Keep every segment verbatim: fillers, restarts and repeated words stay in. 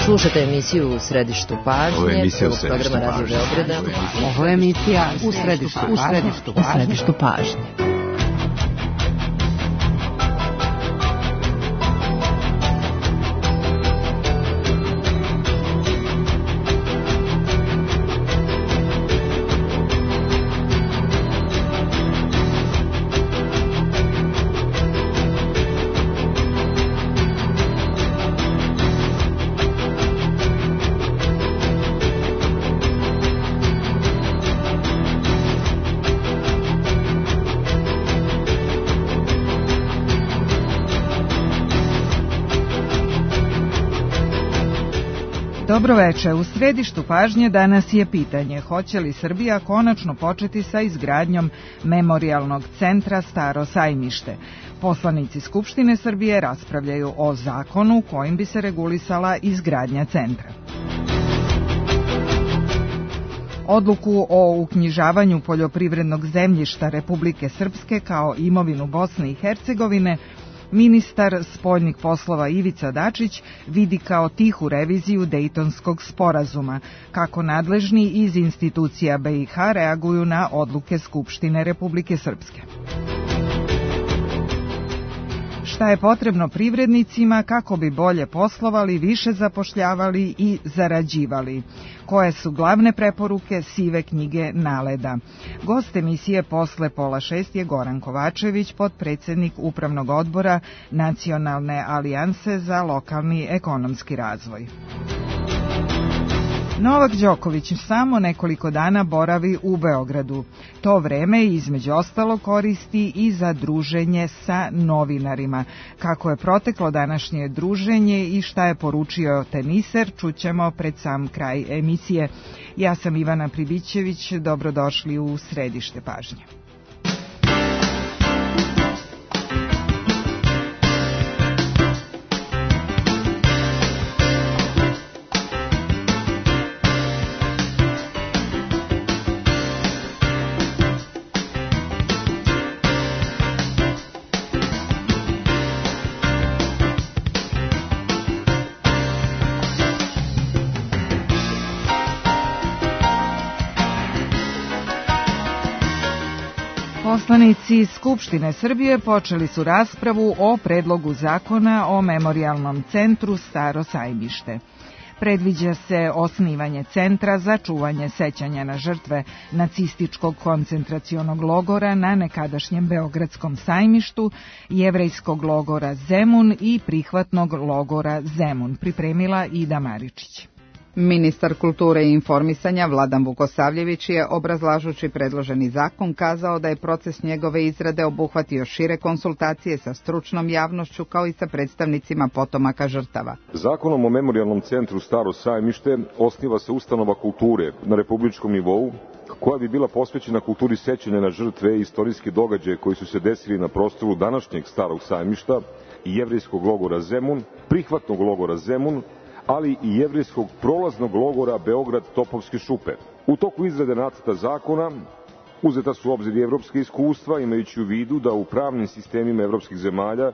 Slušate emisiju U središtu pažnje. Ovo je emisija U središtu pažnje. Radio Beograda. Ovo je emisija U središtu pažnje. U središtu pažnje. Dobro veče. U središtu pažnje danas je pitanje hoće li Srbija konačno početi sa izgradnjom memorijalnog centra Staro sajmište. Poslanici Skupštine Srbije raspravljaju o zakonu kojim bi se regulisala izgradnja centra. Odluku o uknjižavanju poljoprivrednog zemljišta Republike Srpske kao imovinu Bosne i Hercegovine ministar spoljnih poslova Ivica Dačić vidi kao tihu reviziju Dejtonskog sporazuma, kako nadležni iz institucija B i H reaguju na odluke Skupštine Republike Srpske. Šta je potrebno privrednicima kako bi bolje poslovali, više zapošljavali i zarađivali? Koje su glavne preporuke sive knjige NALED-a? Gost emisije posle pola šest je Goran Kovačević, potpredsednik Upravnog odbora Nacionalne alijanse za lokalni ekonomski razvoj. Novak Đoković samo nekoliko dana boravi u Beogradu. To vreme između ostalo koristi i za druženje sa novinarima. Kako je proteklo današnje druženje i šta je poručio teniser, čućemo pred sam kraj emisije. Ja sam Ivana Pribićević, dobrodošli u središte pažnje. Poslanici Skupštine Srbije počeli su raspravu o predlogu zakona o memorijalnom centru Staro sajmište. Predviđa se osnivanje centra za čuvanje sećanja na žrtve nacističkog koncentracionog logora na nekadašnjem Beogradskom sajmištu, jevrejskog logora Zemun i prihvatnog logora Zemun, pripremila Ida Maričić. Ministar kulture i informisanja Vladan Vukosavljević je, obrazlažući predloženi zakon, kazao da je proces njegove izrade obuhvatio šire konsultacije sa stručnom javnošću kao i sa predstavnicima potomaka žrtava. Zakonom o memorijalnom centru Staro sajmište osniva se ustanova kulture na republičkom nivou koja bi bila posvećena kulturi sećanja na žrtve i istorijske događaje koji su se desili na prostoru današnjeg Starog sajmišta i jevrejskog logora Zemun, prihvatnog logora Zemun, ali i jevrejskog prolaznog logora Beograd Topovske šupe. U toku izrade nacrta zakona uzeta su u obzir i evropske iskustva, imajući u vidu da u pravnim sistemima evropskih zemalja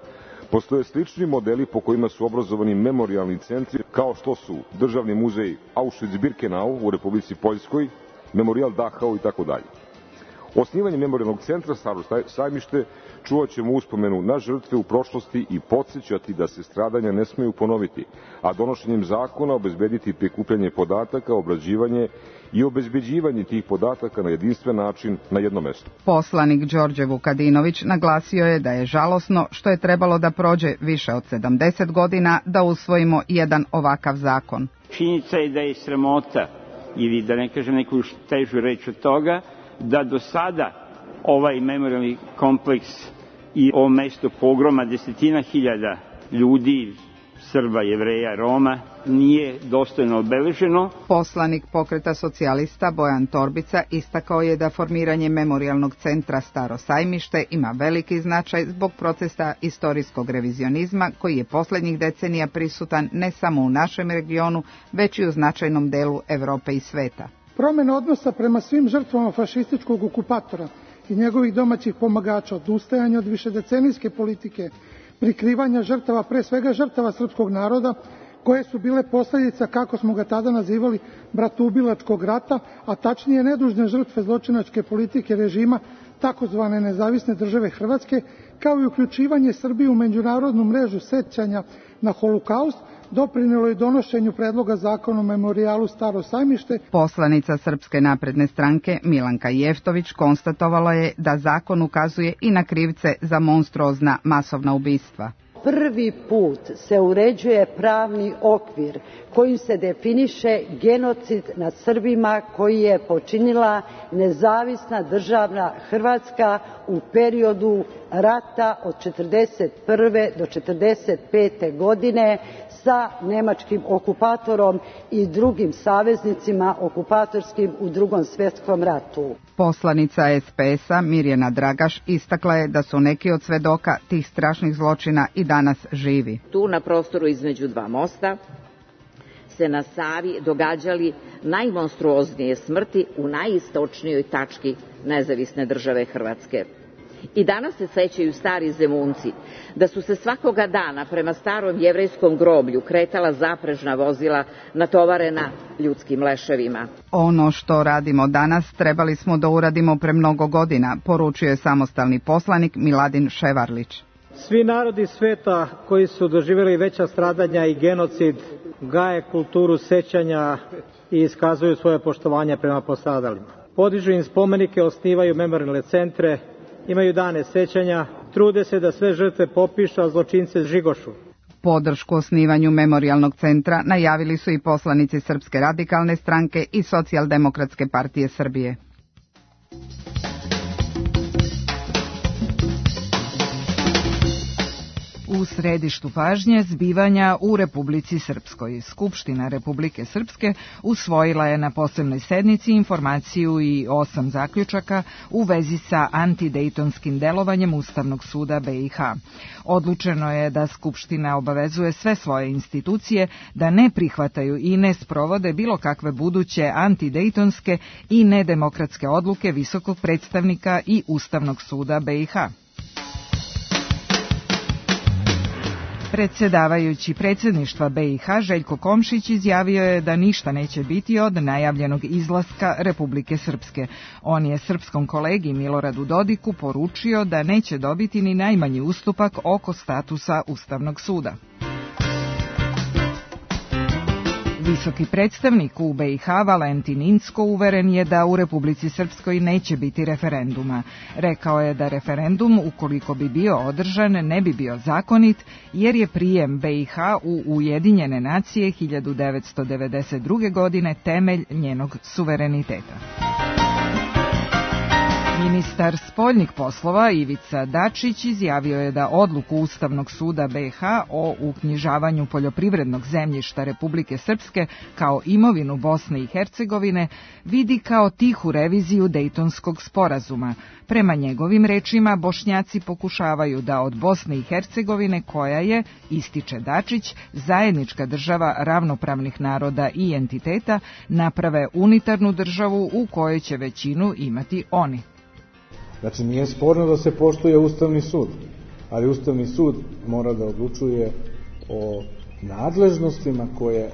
postoje slični modeli po kojima su obrazovani memorijalni centri, kao što su Državni muzej Auschwitz-Birkenau u Republici Poljskoj, Memorijal Dachau i tako dalje. Osnivanje memorijalnog centra Staro sajmište čuvat ćemo uspomenu na žrtve u prošlosti i podsjećati da se stradanja ne smeju ponoviti, a donošenjem zakona obezbediti prikupljanje podataka, obrađivanje i obezbeđivanje tih podataka na jedinstven način na jednom mestu. Poslanik Đorđe Vukadinović naglasio je da je žalosno što je trebalo da prođe više od sedamdeset godina da usvojimo jedan ovakav zakon. Činjenica je da je sramota, ili da ne kažem neku težu reč od toga, da do sada ovaj memorijalni kompleks i ovo mesto pogroma desetina hiljada ljudi, Srba, Jevreja, Roma, nije dostojno obeleženo. Poslanik Pokreta socijalista Bojan Torbica istakao je da formiranje memorijalnog centra Staro sajmište ima veliki značaj zbog procesa istorijskog revizionizma koji je poslednjih decenija prisutan ne samo u našem regionu, već i u značajnom delu Evrope i sveta. Promjena odnosa prema svim žrtvama fašističkog okupatora i njegovih domaćih pomagača, odustajanje od višedecenijske politike, prikrivanja žrtava, pre svega žrtava srpskog naroda, koje su bile posljedica, kako smo ga tada nazivali, bratoubilačkog rata, a tačnije nedužne žrtve zločinačke politike režima takozvane nezavisne države Hrvatske, kao i uključivanje Srbije u međunarodnu mrežu sećanja na Holokaust, doprinelo je donošenju predloga zakona o memorijalu Staro Sajmište. Poslanica Srpske napredne stranke Milanka Jeftović konstatovala je da zakon ukazuje i na krivce za monstruozna masovna ubistva. Prvi put se uređuje pravni okvir kojim se definiše genocid nad Srbima koji je počinila nezavisna državna Hrvatska u periodu rata od četrdeset prve do četrdeset pete godine sa nemačkim okupatorom i drugim saveznicima okupatorskim u Drugom svjetskom ratu. Poslanica es pe es-a Mirjana Dragaš istakla je da su neki od svedoka tih strašnih zločina i danas živi. Tu na prostoru između dva mosta se na Savi događali najmonstruoznije smrti u najistočnijoj tački nezavisne države Hrvatske. I danas se sećaju stari Zemunci da su se svakoga dana prema starom jevrejskom groblju kretala zaprežna vozila natovarena ljudskim leševima. Ono što radimo danas trebali smo da uradimo pre mnogo godina, poručio je samostalni poslanik Miladin Ševarlić. Svi narodi sveta koji su doživjeli veća stradanja i genocid gaje kulturu sećanja i iskazuju svoje poštovanje prema postradalima. Podižu im spomenike, osnivaju memorijalne centre, imaju dane sećanja, trude se da sve žrtve popišu, a zločince žigošu. Podršku osnivanju memorijalnog centra najavili su i poslanici Srpske radikalne stranke i Socijaldemokratske partije Srbije. U središtu pažnje zbivanja u Republici Srpskoj. Skupština Republike Srpske usvojila je na posebnoj sednici informaciju i osam zaključaka u vezi sa antidejtonskim delovanjem Ustavnog suda be i ha. Odlučeno je da Skupština obavezuje sve svoje institucije da ne prihvataju i ne sprovode bilo kakve buduće antidejtonske i nedemokratske odluke Visokog predstavnika i Ustavnog suda be i ha. Predsjedavajući predsjedništva be i ha Željko Komšić izjavio je da ništa neće biti od najavljenog izlaska Republike Srpske. On je srpskom kolegi Miloradu Dodiku poručio da neće dobiti ni najmanji ustupak oko statusa Ustavnog suda. Visoki predstavnik u be i ha Valentin Incko uveren je da u Republici Srpskoj neće biti referenduma. Rekao je da referendum, ukoliko bi bio održan, ne bi bio zakonit, jer je prijem be i ha u Ujedinjene nacije hiljadu devetsto devedeset druge. godine temelj njenog suvereniteta. Ministar spoljnih poslova Ivica Dačić izjavio je da odluku Ustavnog suda be i ha o uknjižavanju poljoprivrednog zemljišta Republike Srpske kao imovinu Bosne i Hercegovine vidi kao tihu reviziju Dejtonskog sporazuma. Prema njegovim rečima, Bošnjaci pokušavaju da od Bosne i Hercegovine, koja je, ističe Dačić, zajednička država ravnopravnih naroda i entiteta, naprave unitarnu državu u kojoj će većinu imati oni. Znači, nije sporno da se poštuje Ustavni sud, ali Ustavni sud mora da odlučuje o nadležnostima koje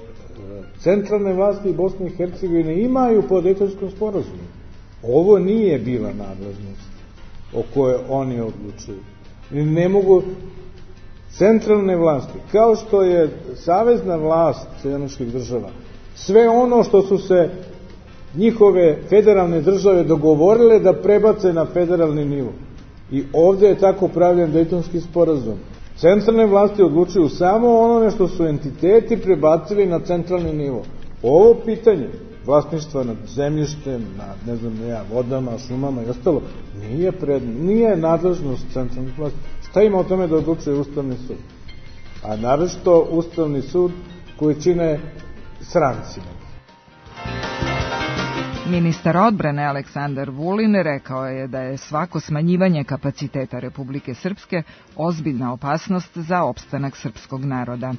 centralne vlasti Bosne i Hercegovine imaju po Dejtonskom sporazumu. Ovo nije bila nadležnost o kojoj oni odlučuju. Ne mogu centralne vlasti, kao što je savezna vlast Sjedinjenih država, sve ono što su se njihove federalne države dogovorile da prebace na federalni nivo. I ovdje je tako pravljen Dejtonski sporazum. Centralne vlasti odlučuju samo onome što su entiteti prebacili na centralni nivo. Ovo pitanje vlasništva nad zemljištem, nad, ne znam, ne ja, vodama, šumama i ostalo, nije, pred, nije nadležnost centralnih vlasti. Šta ima o tome da odlučuje Ustavni sud? A naročito Ustavni sud koji čine stranci. Ministar odbrane Aleksandar Vulin rekao je da je svako smanjivanje kapaciteta Republike Srpske ozbiljna opasnost za opstanak srpskog naroda.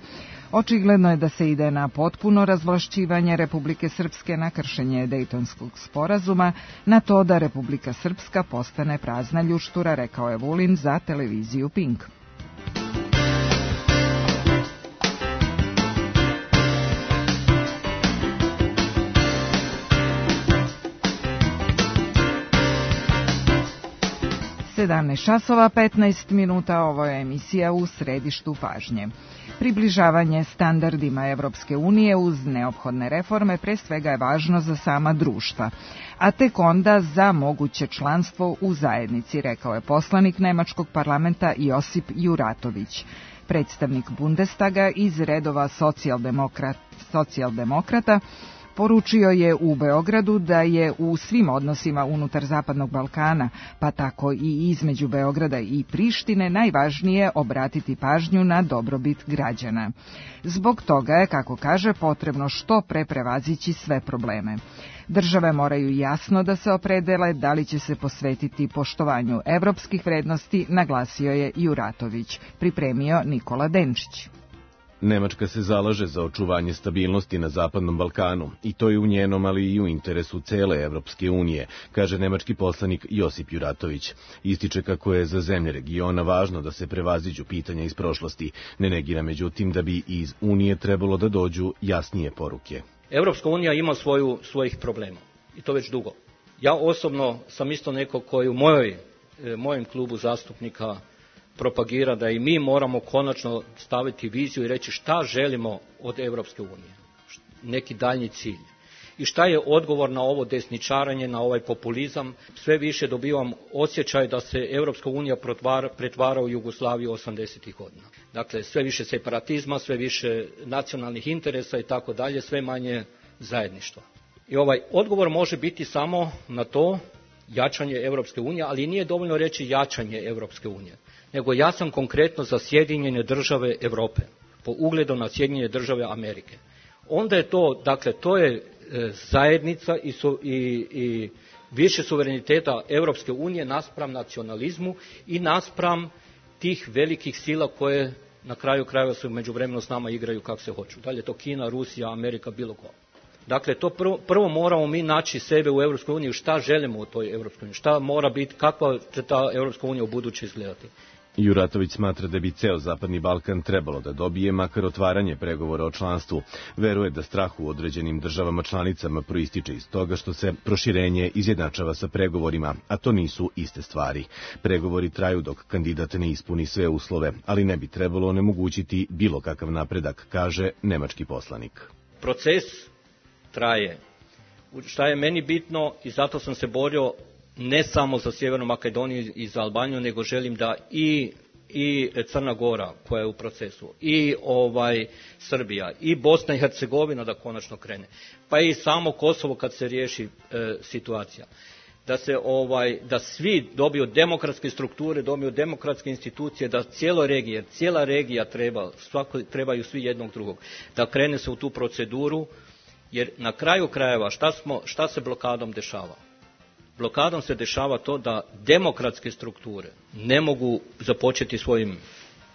Očigledno je da se ide na potpuno razvlašćivanje Republike Srpske, na kršenje Dejtonskog sporazuma, na to da Republika Srpska postane prazna ljuštura, rekao je Vulin za televiziju Pink. sedamnaest časova petnaest minuta, ovo je emisija U središtu pažnje. Približavanje standardima Evropske unije uz neophodne reforme pre svega je važno za sama društva, a tek onda za moguće članstvo u zajednici, rekao je poslanik Nemačkog parlamenta Josip Juratović. Predstavnik Bundestaga iz redova socijaldemokrat, socijaldemokrata poručio je u Beogradu da je u svim odnosima unutar Zapadnog Balkana, pa tako i između Beograda i Prištine, najvažnije obratiti pažnju na dobrobit građana. Zbog toga je, kako kaže, potrebno što pre prevazići sve probleme. Države moraju jasno da se opredele da li će se posvetiti poštovanju evropskih vrednosti, naglasio je Juratović, pripremio Nikola Denčić. Nemačka se zalaže za očuvanje stabilnosti na Zapadnom Balkanu i to je u njenom, ali i u interesu cele Evropske unije, kaže nemački poslanik Josip Juratović. Ističe kako je za zemlje regiona važno da se prevaziđu pitanja iz prošlosti, ne negira međutim da bi iz Unije trebalo da dođu jasnije poruke. Evropska unija ima svoju, svojih problema i to već dugo. Ja osobno sam isto neko koji u mojoj, mojem klubu zastupnika propagira da i mi moramo konačno staviti viziju i reći šta želimo od Evropske unije, neki daljnji cilj. I šta je odgovor na ovo desničaranje, na ovaj populizam. Sve više dobivam osjećaj da se Evropska unija pretvara, pretvara u Jugoslaviju osamdesetih godina. Dakle, sve više separatizma, sve više nacionalnih interesa i tako dalje, sve manje zajedništva. I ovaj odgovor može biti samo na to jačanje Evropske unije, ali nije dovoljno reći jačanje Evropske unije, nego ja sam konkretno za Sjedinjene države Evrope, po ugledu na Sjedinjene države Amerike. Onda je to, dakle, to je e, zajednica i, su, i, i više suvereniteta Evropske unije naspram nacionalizmu i naspram tih velikih sila koje na kraju krajeva su međuvremeno s nama igraju kako se hoću. Da li je to Kina, Rusija, Amerika, bilo ko. Dakle, to prvo, prvo moramo mi naći sebe u Evropskoj uniji, šta želimo u toj Evropskoj uniji, šta mora biti, kakva će ta Evropska unija u buduće izgledati. Juratović smatra da bi ceo Zapadni Balkan trebalo da dobije makar otvaranje pregovora o članstvu. Veruje da strah u određenim državama članicama proističe iz toga što se proširenje izjednačava sa pregovorima, a to nisu iste stvari. Pregovori traju dok kandidat ne ispuni sve uslove, ali ne bi trebalo onemogućiti bilo kakav napredak, kaže nemački poslanik. Proces traje. Šta je meni bitno i zato sam se borio ne samo za Sjevernu Makedoniju i za Albaniju, nego želim da i, i Crna Gora koja je u procesu, i ovaj Srbija, i Bosna i Hercegovina da konačno krene, pa i samo Kosovo kad se riješi e, situacija. Da se ovaj da svi dobiju demokratske strukture, dobiju demokratske institucije, da cijelo regije, cijela regija treba, svako, trebaju svi jednog drugog, da krene se u tu proceduru, jer na kraju krajeva šta, smo, šta se blokadom dešava? Blokadom se dešava to da demokratske strukture ne mogu započeti svojim,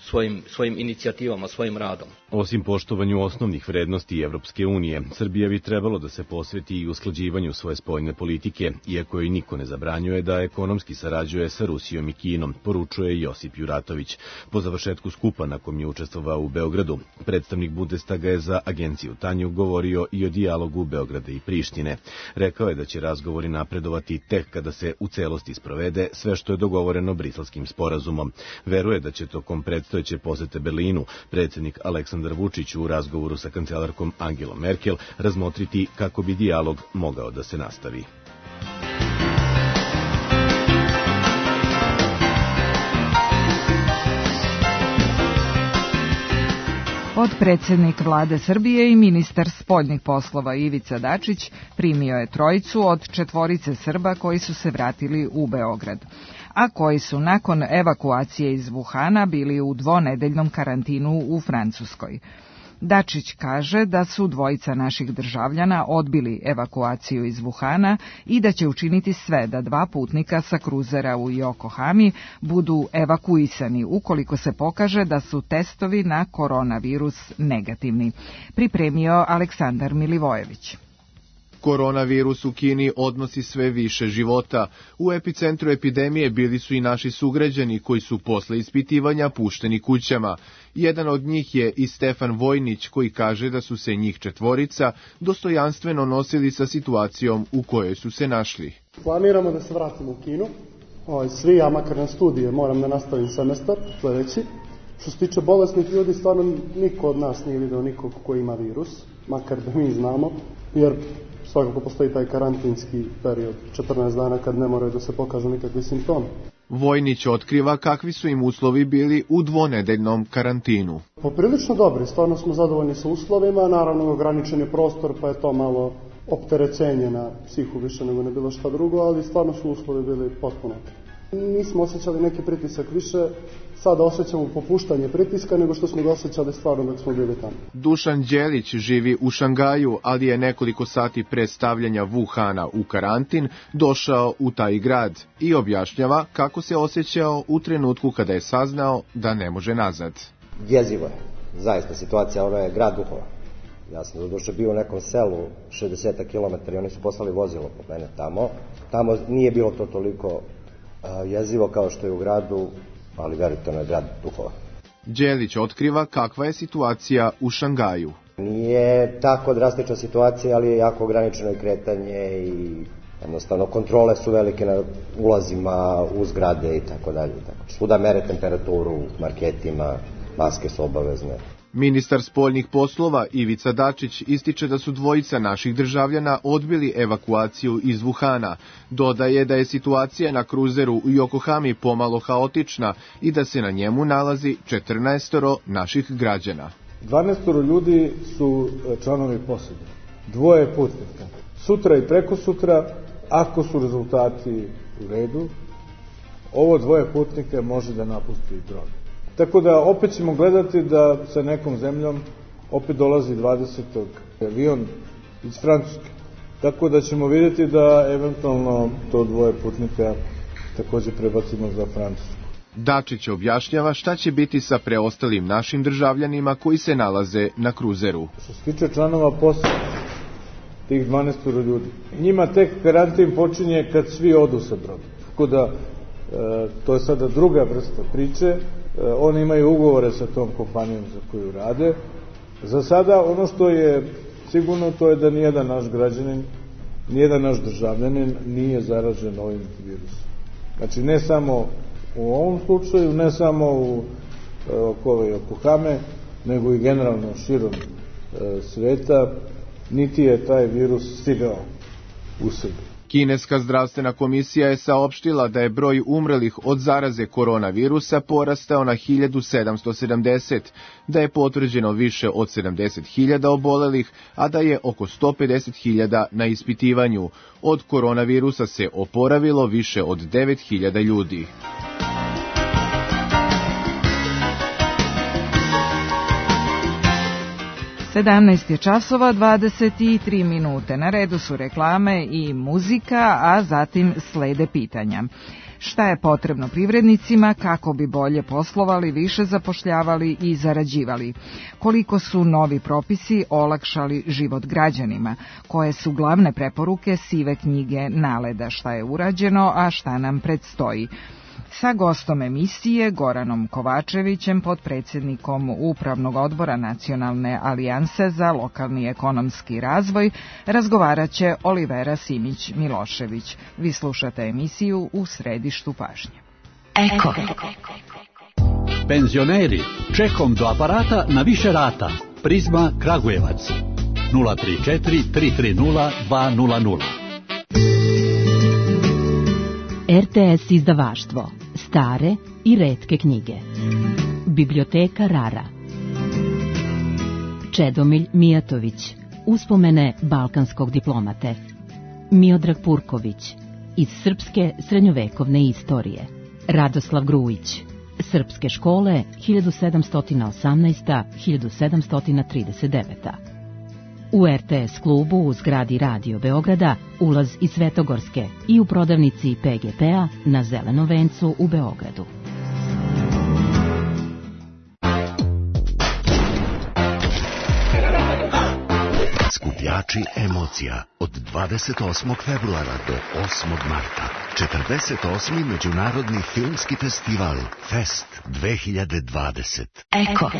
svojim, svojim inicijativama, svojim radom. Osim poštovanju osnovnih vrednosti Evropske unije, Srbija bi trebalo da se posveti i usklađivanju svoje spoljne politike, iako joj niko ne zabranjuje da ekonomski sarađuje sa Rusijom i Kinom, poručuje Josip Juratović. Po završetku skupa na kom je učestvovao u Beogradu, predstavnik Bundestaga je za agenciju Tanju govorio i o dijalogu Beograda i Prištine. Rekao je da će razgovori napredovati tek kada se u celosti sprovede sve što je dogovoreno Briselskim sporazumom. Veruje da će tokom predstojeće posete Berlinu predsjednik Aleksandar Vučić u razgovoru sa kancelarkom Angelom Merkel razmotriti kako bi dijalog mogao da se nastavi. Potpredsednik Vlade Srbije i ministar spoljnih poslova Ivica Dačić primio je trojicu od četvorice Srba koji su se vratili u Beograd, a koji su nakon evakuacije iz Vuhana bili u dvonedeljnom karantinu u Francuskoj. Dačić kaže da su dvojica naših državljana odbili evakuaciju iz Vuhana i da će učiniti sve da dva putnika sa kruzera u Yokohami budu evakuisani ukoliko se pokaže da su testovi na koronavirus negativni, pripremio Aleksandar Milivojević. Koronavirus u Kini odnosi sve više života. U epicentru epidemije bili su i naši sugrađani koji su posle ispitivanja pušteni kućama. Jedan od njih je i Stefan Vojnić koji kaže da su se njih četvorica dostojanstveno nosili sa situacijom u kojoj su se našli. Planiramo da se vratimo u Kinu ovaj, svi, ja makar na studije moram da nastavim semestar sledeći. Što se tiče bolesnih ljudi, stvarno niko od nas nije video nikog ko ima virus, makar da mi znamo, jer svakako postoji taj karantinski period, četrnaest dana kad ne moraju da se pokažu nikakvi simptomi. Vojnić otkriva kakvi su im uslovi bili u dvonedeljnom karantinu. Poprilično dobri, stvarno smo zadovoljni sa uslovima, naravno ograničen je prostor pa je to malo opterećenje na psihu više nego ne bilo šta drugo, ali stvarno su uslovi bili potpuno. Nismo osjećali neki pritisak više, sada osjećamo popuštanje pritiska nego što smo ga osjećali stvarno dok smo bili tamo. Dušan Đelić živi u Šangaju, ali je nekoliko sati pre stavljanja Wuhana u karantin došao u taj grad i objašnjava kako se osjećao u trenutku kada je saznao da ne može nazad. Jezivo je, zaista situacija, ono je grad duhova. Ja sam doduše bio u nekom selu šezdeset kilometara i oni su poslali vozilo po mene tamo. Tamo nije bilo to toliko jezivo kao što je u gradu, ali verujte, ono je grad duhova. Đelić otkriva kakva je situacija u Šangaju. Nije tako drastična situacija, ali je jako ograničeno i kretanje i jednostavno kontrole su velike na ulazima u zgrade i tako dalje. Svuda mere temperaturu u marketima, maske su obavezne. Ministar spoljnih poslova Ivica Dačić ističe da su dvojica naših državljana odbili evakuaciju iz Wuhana. Dodaje da je situacija na kruzeru u Yokohami pomalo haotična i da se na njemu nalazi četrnaestoro naših građana. dvanaestoro ljudi su članovi posade, dvoje putnika. Sutra i preko sutra, ako su rezultati u redu, ovo dvoje putnika može da napusti brod. Tako da opet ćemo gledati da sa nekom zemljom opet dolazi dvadesetog avion iz Francuske. Tako da ćemo vidjeti da eventualno to dvoje putnika takođe prebacimo za Francusku. Dačić objašnjava šta će biti sa preostalim našim državljanima koji se nalaze na kruzeru. Što se tiče članova posade, tih dvanaestoro ljudi, njima tek karantin počinje kad svi odu sa broda. Tako da e, to je sada druga vrsta priče. Oni imaju ugovore sa tom kompanijom za koju rade. Za sada ono što je sigurno to je da nijedan naš građanin, nijedan naš državljanin nije zaražen ovim virusom. Znači ne samo u ovom slučaju, ne samo u oko Yokohame, nego i generalno širom e, sveta, niti je taj virus stigao u Srbiju. Kineska zdravstvena komisija je saopštila da je broj umrlih od zaraze koronavirusa porastao na hiljadu sedamsto sedamdeset, da je potvrđeno više od sedamdeset hiljada obolelih, a da je oko sto pedeset hiljada na ispitivanju. Od koronavirusa se oporavilo više od devet hiljada ljudi. sedamnaest je časova dvadeset tri minute. Na redu su reklame i muzika, a zatim slede pitanja. Šta je potrebno privrednicima kako bi bolje poslovali, više zapošljavali i zarađivali? Koliko su novi propisi olakšali život građanima? Koje su glavne preporuke sive knjige NALED-a? Šta je urađeno, a šta nam predstoji? Sa gostom emisije Goranom Kovačevićem, potpredsjednikom Upravnog odbora Nacionalne alijanse za lokalni ekonomski razvoj, razgovarat će Olivera Simić-Milošević. Vi slušate emisiju U središtu pažnje. Eko. Penzioneri, čekom do aparata na više rata. Prizma Kragujevac. nula tri četiri tri tri nula dva nula nula. R T S izdavaštvo. Stare i retke knjige. Biblioteka Rara. Čedomilj Mijatović. Uspomene balkanskog diplomate. Miodrag Purković. Iz srpske srednjovekovne istorije. Radoslav Grujić. Srpske škole hiljadu sedamsto osamnaesta do hiljadu sedamsto trideset deveta. U R T S klubu u zgradi Radio Beograda ulaz iz Svetogorske i u prodavnici P G P-a na Zelenom vencu u Beogradu. Skupljači emocija od dvadeset osmog februara do osmog marta. četrdeset osmi Međunarodni filmski festival Fest dve hiljade dvadeset. Eko.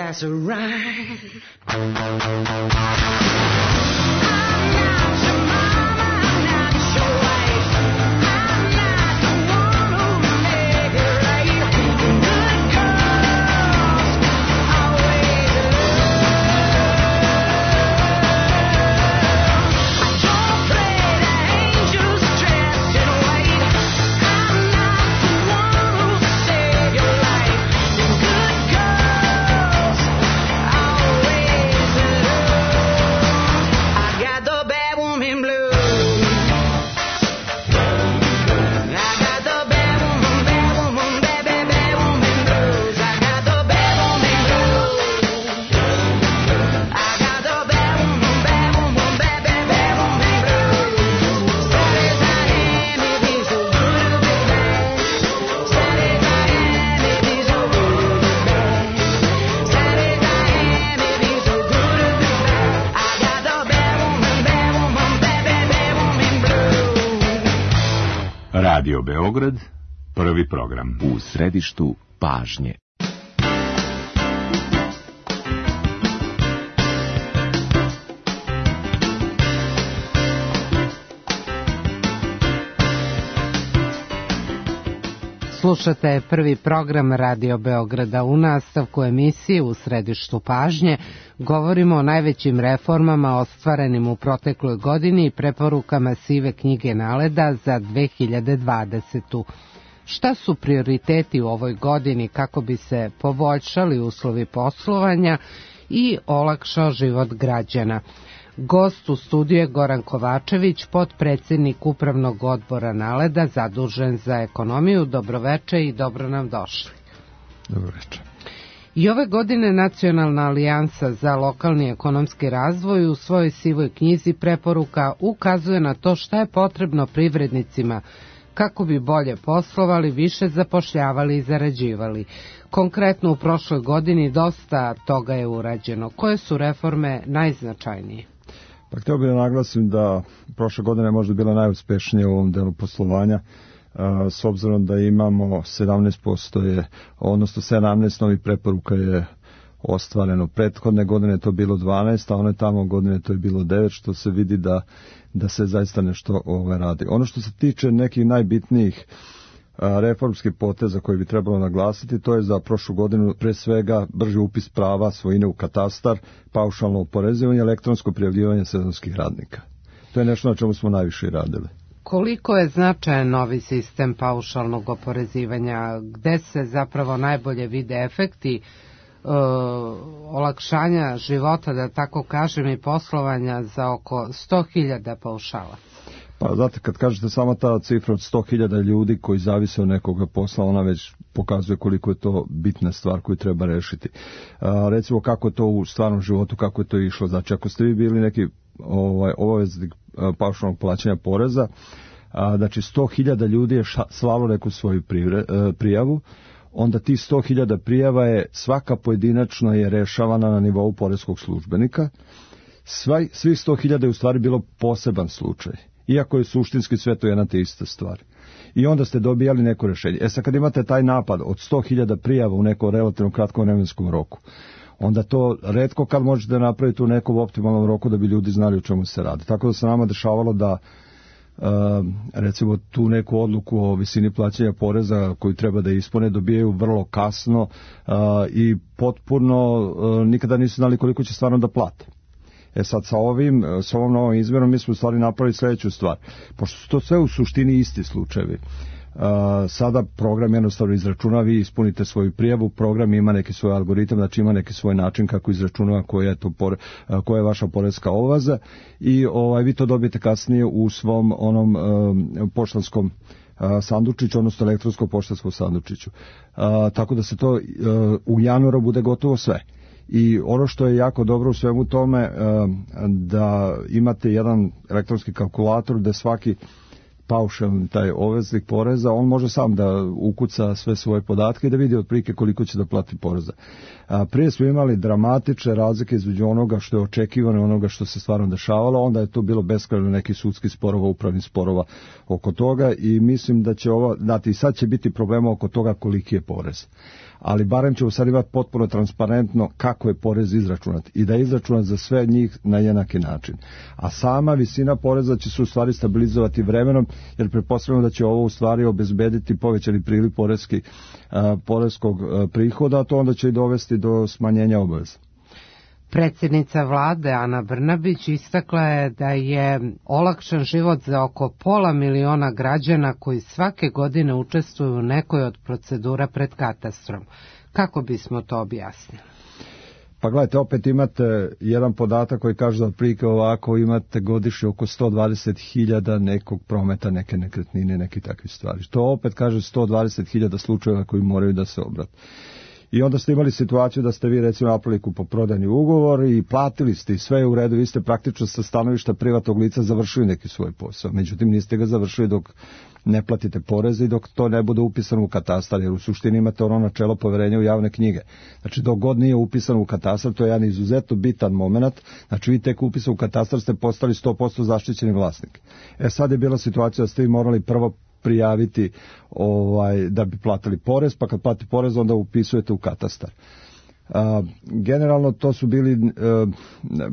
that's right. Radio Beograd, prvi program. U središtu pažnje. Slušate prvi program Radio Beograda. U nastavku emisije U središtu pažnje govorimo o najvećim reformama ostvarenim u protekloj godini i preporukama sive knjige NALED-a za dve hiljade dvadesetu. Šta su prioriteti u ovoj godini kako bi se poboljšali uslovi poslovanja i olakšao život građana? Gost u studiju je Goran Kovačević, potpredsednik Upravnog odbora NALED-a, zadužen za ekonomiju. Dobroveče i dobro nam došli. Dobroveče. I ove godine Nacionalna alijansa za lokalni ekonomski razvoj u svojoj sivoj knjizi preporuka ukazuje na to šta je potrebno privrednicima kako bi bolje poslovali, više zapošljavali i zarađivali. Konkretno u prošloj godini dosta toga je urađeno. Koje su reforme najznačajnije? Pa htio bih da naglasim da prošla godina je možda bila najuspešnija u ovom delu poslovanja, s obzirom da imamo sedamnaest posto je, odnosno sedamnaest novih preporuka je ostvareno. Prethodne godine je to bilo dvanaest, a one tamo godine to je bilo devet, što se vidi da, da se zaista nešto ove radi. Ono što se tiče nekih najbitnijih reformskih poteza koje bi trebalo naglasiti, to je za prošlu godinu pre svega brži upis prava svojine u katastar, paušalno oporezivanje, elektronsko prijavljivanje sezonskih radnika. To je nešto na čemu smo najviše radili. Koliko je značajan novi sistem paušalnog oporezivanja, gde se zapravo najbolje vide efekti uh, olakšanja života, da tako kažem, i poslovanja za oko sto hiljada paušala? Pa znate, kad kažete samo ta cifra od sto hiljada ljudi koji zavise od nekoga posla, ona već pokazuje koliko je to bitna stvar koju treba rešiti. A, recimo kako je to u stvarnom životu, kako je to išlo. Znači, ako ste vi bili neki ovaj, obaveznik paušalnog plaćanja poreza, a, znači sto hiljada ljudi je ša, slalo neku svoju privre, a, prijavu, onda ti sto hiljada prijava je svaka pojedinačno je rešavana na nivou poreskog službenika. Svaj, svih sto hiljada je u stvari bilo poseban slučaj, iako je suštinski sve to jedna te ista stvar. I onda ste dobijali neko rešenje. E sad kad imate taj napad od sto hiljada prijava u nekom relativno kratkom vremenskom roku, onda to retko kad možete napraviti u nekom optimalnom roku da bi ljudi znali o čemu se radi. Tako da se nama dešavalo da Uh, recimo tu neku odluku o visini plaćanja poreza koju treba da ispune dobijaju vrlo kasno uh, i potpuno uh, nikada nisu znali koliko će stvarno da plate. E sad sa ovim, sa ovom novom izmjenom mi smo u stvari napravili sljedeću stvar. Pošto su to sve u suštini isti slučajevi, uh, sada program jednostavno izračuna, vi ispunite svoju prijavu, program ima neki svoj algoritam, znači ima neki svoj način kako izračunava koja je, to pore, uh, koja je vaša poreska obaveza i ovaj, vi to dobijete kasnije u svom onom uh, poštanskom uh, sandučiću, odnosno elektronskom poštanskom sandučiću. Uh, tako da se to uh, u januaru bude gotovo sve. I ono što je jako dobro u svemu tome, da imate jedan elektronski kalkulator gde svaki paušalni taj obveznik poreza, on može sam da ukuca sve svoje podatke i da vidi otprilike koliko će da plati poreza. Prije smo imali dramatične razlike između onoga što je očekivano i onoga što se stvarno dešavalo, onda je to bilo beskrajno neki sudski sporova, upravnih sporova oko toga i mislim da će ovo, znate, i sad će biti problema oko toga koliki je porez. ali barem ćemo sad imati potpuno transparentno kako je porez izračunat i da je izračunat za sve njih na jednaki način. A sama visina poreza će se u stvari stabilizovati vremenom, jer pretpostavljamo da će ovo u stvari obezbediti povećani priliv porezki, a, porezkog a, prihoda, a to onda će i dovesti do smanjenja obaveza. Predsjednica vlade Ana Brnabić istakla je da je olakšan život za oko pola miliona građana koji svake godine učestvuju u nekoj od procedura pred katastrom. Kako bismo to objasnili? Pa gledajte, opet imate jedan podatak koji kaže da otprilike ovako imate godišnje oko sto dvadeset hiljada nekog prometa, neke nekretnine, neke takve stvari. To opet kaže sto dvadeset hiljada slučajeva koji moraju da se obrate. I onda ste imali situaciju da ste vi recimo napravili kupoprodajni ugovor i platili ste i sve je u redu, vi ste praktično sa stanovišta privatnog lica završili neki svoj posao. Međutim, niste ga završili dok ne platite poreze i dok to ne bude upisano u katastar, jer u suštini imate ono načelo poverenja u javne knjige. Znači, dok god nije upisano u katastar, to je jedan izuzetno bitan moment, znači vi tek upisan u katastar ste postali sto posto zaštićeni vlasnik. E sad je bila situacija da ste vi morali prvo prijaviti ovaj, da bi platili porez, pa kad plati porez onda upisujete u katastar. A, generalno to su bili, e,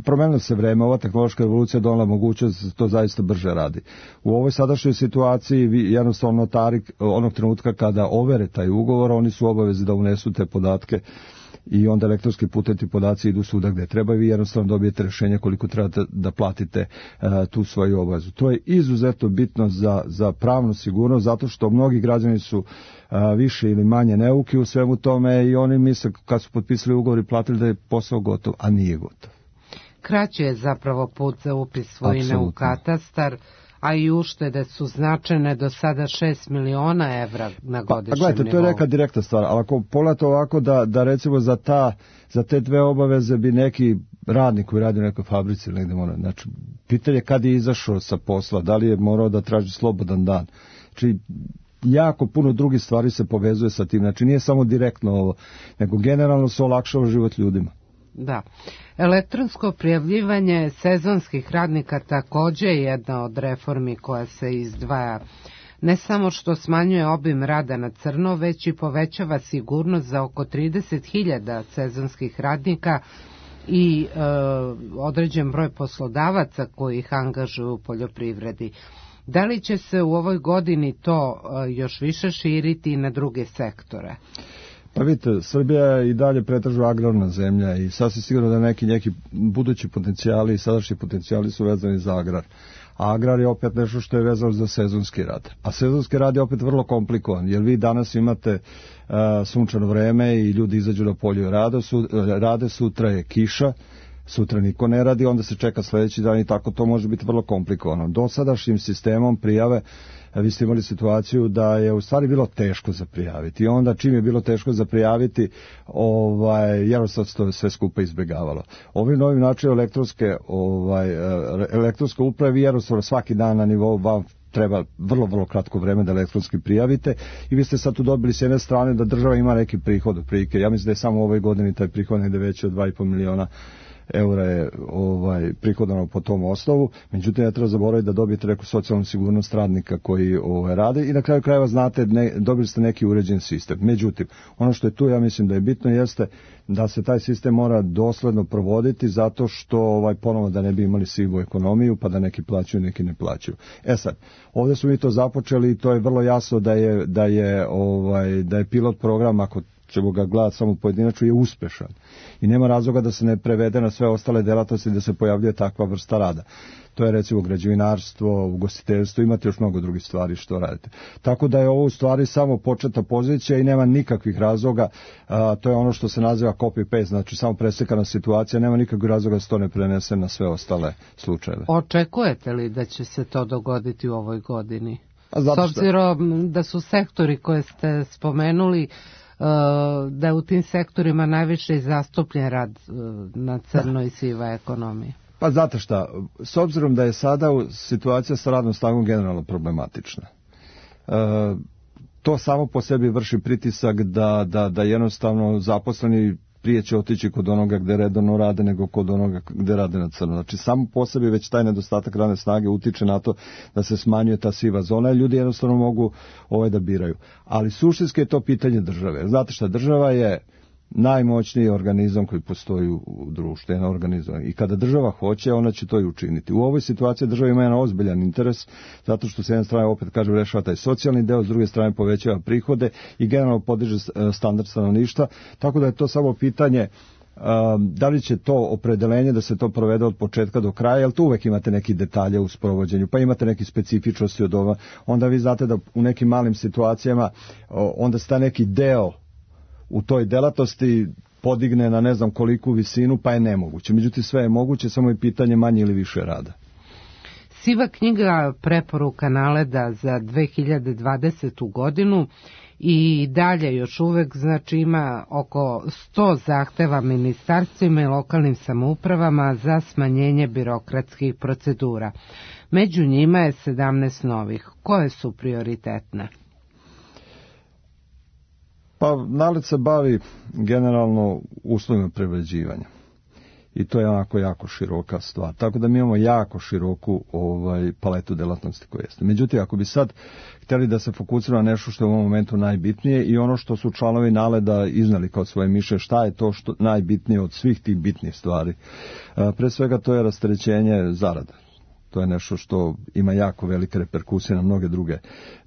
promenilo se vreme, ova tehnološka revolucija donela mogućnost da se to zaista brže radi. U ovoj sadašnjoj situaciji vi jednostavno notari onog trenutka kada overe taj ugovor, oni su obavezni da unesu te podatke i onda elektronski putem ti podaci idu svuda gde treba i vi jednostavno dobijete rješenje koliko trebate da platite uh, tu svoju obavezu. To je izuzetno bitno za, za pravnu sigurnost, zato što mnogi građani su uh, više ili manje neuki u svemu tome i oni misle kad su potpisali ugovor i platili da je posao gotov, a nije gotov. Kraći je zapravo put za upis svojine Absolutno. U katastar, a i uštede su značajne, do sada šest miliona evra na godišnjem nivou. Pa, gledajte, to je neka direktna stvar, ali ako pogledate ovako da, da recimo za, ta, za te dve obaveze bi neki radnik koji radi u nekoj fabrici ili negde mora, znači, pitanje kad je izašao sa posla, da li je morao da traži slobodan dan. Znači, jako puno drugih stvari se povezuje sa tim, znači nije samo direktno ovo, nego generalno se olakšava život ljudima. Da. Elektronsko prijavljivanje sezonskih radnika takođe je jedna od reformi koja se izdvaja. Ne samo što smanjuje obim rada na crno, već i povećava sigurnost za oko trideset hiljada sezonskih radnika i e, određen broj poslodavaca koji ih angažuju u poljoprivredi. Da li će se u ovoj godini to e, još više širiti na druge sektore? Pa vidite, Srbija je i dalje pretežno agrarna zemlja i sasvim sigurno da neki, neki budući potencijali i sadašnji potencijali su vezani za agrar. A agrar je opet nešto što je vezano za sezonski rad. A sezonski rad je opet vrlo komplikovan, jer vi danas imate uh, sunčano vreme i ljudi izađu na polju i rade, su, rade, sutra je kiša, sutra niko ne radi, onda se čeka sledeći dan i tako to može biti vrlo komplikovano. Dosadašnjim sistemom prijave vi ste imali situaciju da je u stvari bilo teško za prijaviti i onda čim je bilo teško za prijaviti, ovaj, jednostavno se to sve skupa izbjegavalo. Ovim novim načinom elektronske, ovaj, elektronske uprave vi jednostavno svaki dan na nivou vam treba vrlo, vrlo kratko vreme da elektronski prijavite i vi ste sad tu dobili s jedne strane da država ima neki prihod od prilike. Ja mislim da je samo u ovoj godini taj prihod negde veći od dva i po miliona eura je ovaj, prihodano po tom osnovu, međutim ne treba zaboraviti da dobijete neku socijalnu sigurnost radnika koji ovaj, rade i na kraju krajeva znate, ne, dobili ste neki uređen sistem. Međutim, ono što je tu, ja mislim da je bitno, jeste da se taj sistem mora dosledno provoditi zato što ovaj, ponovo da ne bi imali sivu ekonomiju pa da neki plaćaju, neki ne plaćaju. E sad, ovdje su mi to započeli i to je vrlo jasno da je, da je, ovaj, da je pilot program, ako ćemo ga gledati samo pojedinačno, je uspešan. I nema razloga da se ne prevede na sve ostale delatnosti da se pojavljuje takva vrsta rada. To je recimo građevinarstvo, ugostiteljstvo, imate još mnogo drugih stvari što radite. Tako da je ovo u stvari samo početna pozicija i nema nikakvih razloga, a, to je ono što se naziva copy-paste, znači samo preslikana situacija, nema nikakvih razloga da se to ne prenese na sve ostale slučajeve. Očekujete li da će se to dogoditi u ovoj godini? A S obzirom da su sektori koje ste spomenuli, da je u tim sektorima najviše zastupljen rad na crno i siva ekonomija. Pa znate šta, s obzirom da je sada situacija sa radnom snagom generalno problematična, e, to samo po sebi vrši pritisak da, da, da jednostavno zaposleni prije će otići kod onoga gde redovno rade nego kod onoga gde rade na crno. Znači samo po sebi već taj nedostatak radne snage utiče na to da se smanjuje ta siva zona i ljudi jednostavno mogu ovaj da biraju. Ali suštinski je to pitanje države. Znate šta, država je najmoćniji organizam koji postoji u društvu, jedan organizam. I kada država hoće, ona će to i učiniti. U ovoj situaciji država ima jedan ozbiljan interes, zato što s jedne strane, opet kažem, rešava taj socijalni deo, s druge strane povećava prihode i generalno podiže standard stanovništva, tako da je to samo pitanje da li će to opredelenje da se to provede od početka do kraja, jer tu uvek imate neki detalje u sprovođenju, pa imate neki specifičnosti od ova. Onda vi znate da u nekim malim situacijama onda sta neki deo u toj delatnosti podigne na ne znam koliku visinu, pa je nemoguće. Međutim, sve je moguće, samo je pitanje manje ili više rada. Siva knjiga preporuka NALED-a za dve hiljade dvadesetu godinu i dalje još uvek, znači, ima oko sto zahteva ministarstvima i lokalnim samoupravama za smanjenje birokratskih procedura. Među njima je sedamnaest novih. Koje su prioritetne? Pa NALED se bavi generalno uslovima privređivanja i to je onako jako široka stvar. Tako da mi imamo jako široku ovaj, paletu delatnosti koje jeste. Međutim, ako bi sad htjeli da se fokusiramo na nešto što je u ovom momentu najbitnije i ono što su članovi NALED-a iznali kao svoje mišljenje, šta je to što najbitnije od svih tih bitnih stvari. Pre svega to je rasterećenje zarada. To je nešto što ima jako velike reperkusije na mnoge druge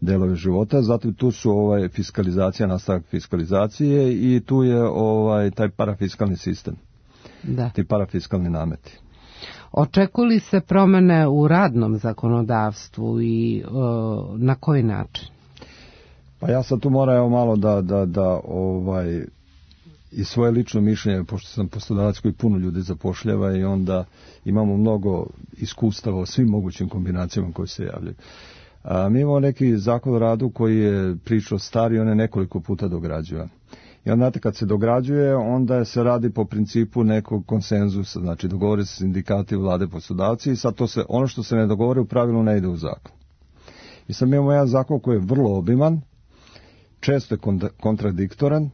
delove života. Zatim tu su ovaj fiskalizacija, nastavak fiskalizacije i tu je ovaj taj parafiskalni sistem. Da. Ti parafiskalni nameti. Očekuju li se promene u radnom zakonodavstvu i o, na koji način? Pa ja sad tu moram evo malo da, da, da ovaj i svoje lično mišljenje, pošto sam poslodavac koji puno ljudi zapošljava i onda imamo mnogo iskustava o svim mogućim kombinacijama koje se javljaju. A, mi imamo neki zakon o radu koji je pričao stari, on je nekoliko puta dograđuje. I onda, znate, kad se dograđuje, onda se radi po principu nekog konsenzusa, znači dogovore se sindikati, vlade, poslodavci i sad to se, ono što se ne dogovore u pravilu ne ide u zakon. I sad mi imamo jedan zakon koji je vrlo obiman, često je kontradiktoran,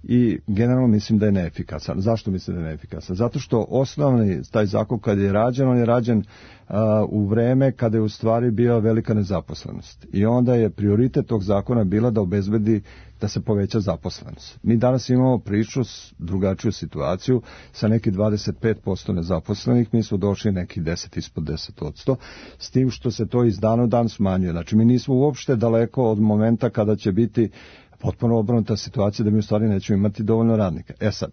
i generalno mislim da je neefikasan. Zašto mislim da je neefikasan? Zato što osnovni taj zakon kad je rađen, on je rađen uh, u vreme kada je u stvari bila velika nezaposlenost. I onda je prioritet tog zakona bila da obezbedi da se poveća zaposlenost. Mi danas imamo priču, drugačiju situaciju, sa neki dvadeset pet posto nezaposlenih, mi smo došli neki deset ispod deset posto, s tim što se to iz dana u dan smanjuje. Znači mi nismo uopšte daleko od momenta kada će biti potpuno obrnuta situacija da mi u stvari nećemo imati dovoljno radnika. E sad,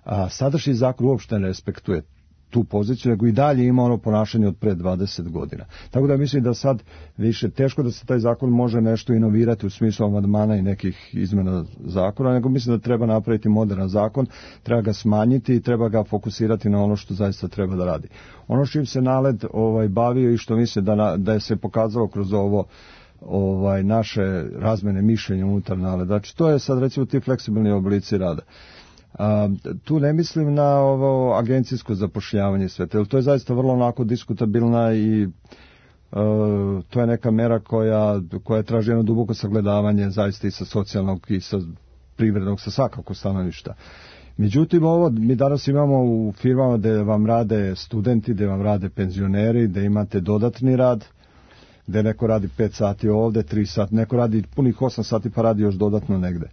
a, sadašnji zakon uopšte ne respektuje tu poziciju, nego i dalje ima ono ponašanje od pre dvadeset godina. Tako da mislim da sad više teško da se taj zakon može nešto inovirati u smislu amandmana i nekih izmena zakona, nego mislim da treba napraviti moderan zakon, treba ga smanjiti i treba ga fokusirati na ono što zaista treba da radi. Ono što im se NALED ovaj, bavio i što mislim da, na, da je se pokazalo kroz ovo ovaj naše razmene mišljenja unutar NALED. Znači to je sad recimo ti fleksibilni oblici rada. A, tu ne mislim na ovo agencijsko zapošljavanje sve, to je zaista vrlo onako diskutabilna i a, to je neka mera koja, koja traži jedno duboko sagledavanje zaista i sa socijalnog i sa privrednog, sa svakako stanovišta. Međutim, ovo mi danas imamo u firmama gde vam rade studenti, gde vam rade penzioneri, gde imate dodatni rad, gde neko radi pet sati ovde, tri sati, neko radi punih osam sati pa radi još dodatno negde.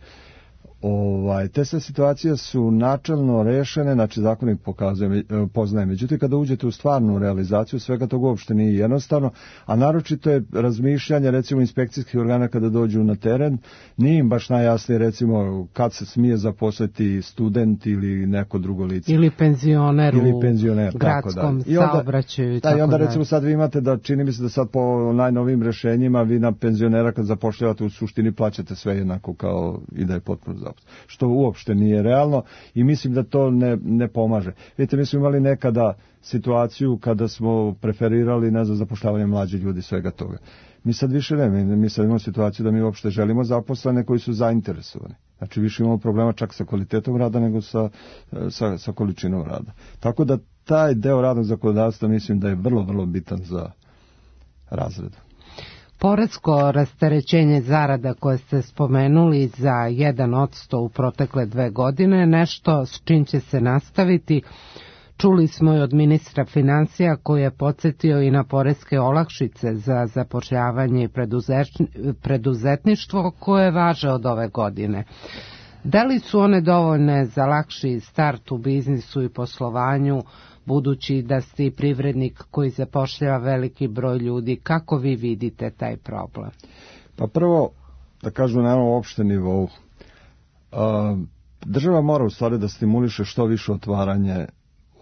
Ovaj, te sve situacije su načelno rešene, znači zakon ih pokazuje, poznaje. Međutim, kada uđete u stvarnu realizaciju, svega toga uopšte nije jednostavno, a naročito je razmišljanje, recimo, inspekcijskih organa kada dođu na teren, nije im baš najjasnije, recimo, kad se smije zaposliti student ili neko drugo lice. Ili penzioner, ili penzioner u gradskom saobraćaju. Da, i onda, recimo, sad vi imate da, čini mi se da sad po najnovim rešenjima, vi na penzionera kad zapošljavate u suštini plaćate sve jednako kao i da je potpuno zaposlen. Što uopšte nije realno i mislim da to ne, ne pomaže. Vidite, mi smo imali nekada situaciju kada smo preferirali, ne znam, zapošljavanje mlađih ljudi, svega toga. Mi sad više ne, mi, mi sad imamo situaciju da mi uopšte želimo zaposlene koji su zainteresovani. Znači više imamo problema čak sa kvalitetom rada nego sa, sa, sa količinom rada. Tako da taj deo radnog zakonodavstva mislim da je vrlo, vrlo bitan za razred. Poresko rasterećenje zarada koje ste spomenuli za jedan odsto u protekle dve godine, nešto s čim će se nastaviti. Čuli smo i od ministra financija koji je podsjetio i na poreske olakšice za zapošljavanje i preduzetništvo koje važe od ove godine. Da li su one dovoljne za lakši start u biznisu i poslovanju, budući da ste i privrednik koji zapošljava veliki broj ljudi? Kako vi vidite taj problem? Pa prvo, da kažem na jednom opštem nivou, država mora u stvari da stimuliše što više otvaranje